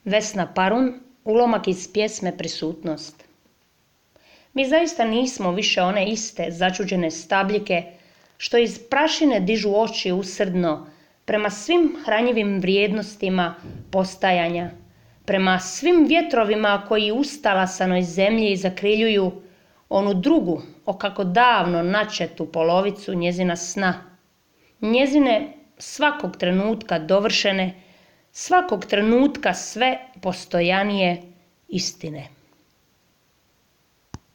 Vesna Parun, ulomak iz pjesme Prisutnost. Mi zaista nismo više one iste začuđene stabljike što iz prašine dižu oči usrdno prema svim hranjivim vrijednostima postajanja, prema svim vjetrovima koji ustalasanoj zemlji zakriljuju onu drugu, okako davno načetu polovicu njezina sna, njezine svakog trenutka dovršene, svakog trenutka sve postojanije istine.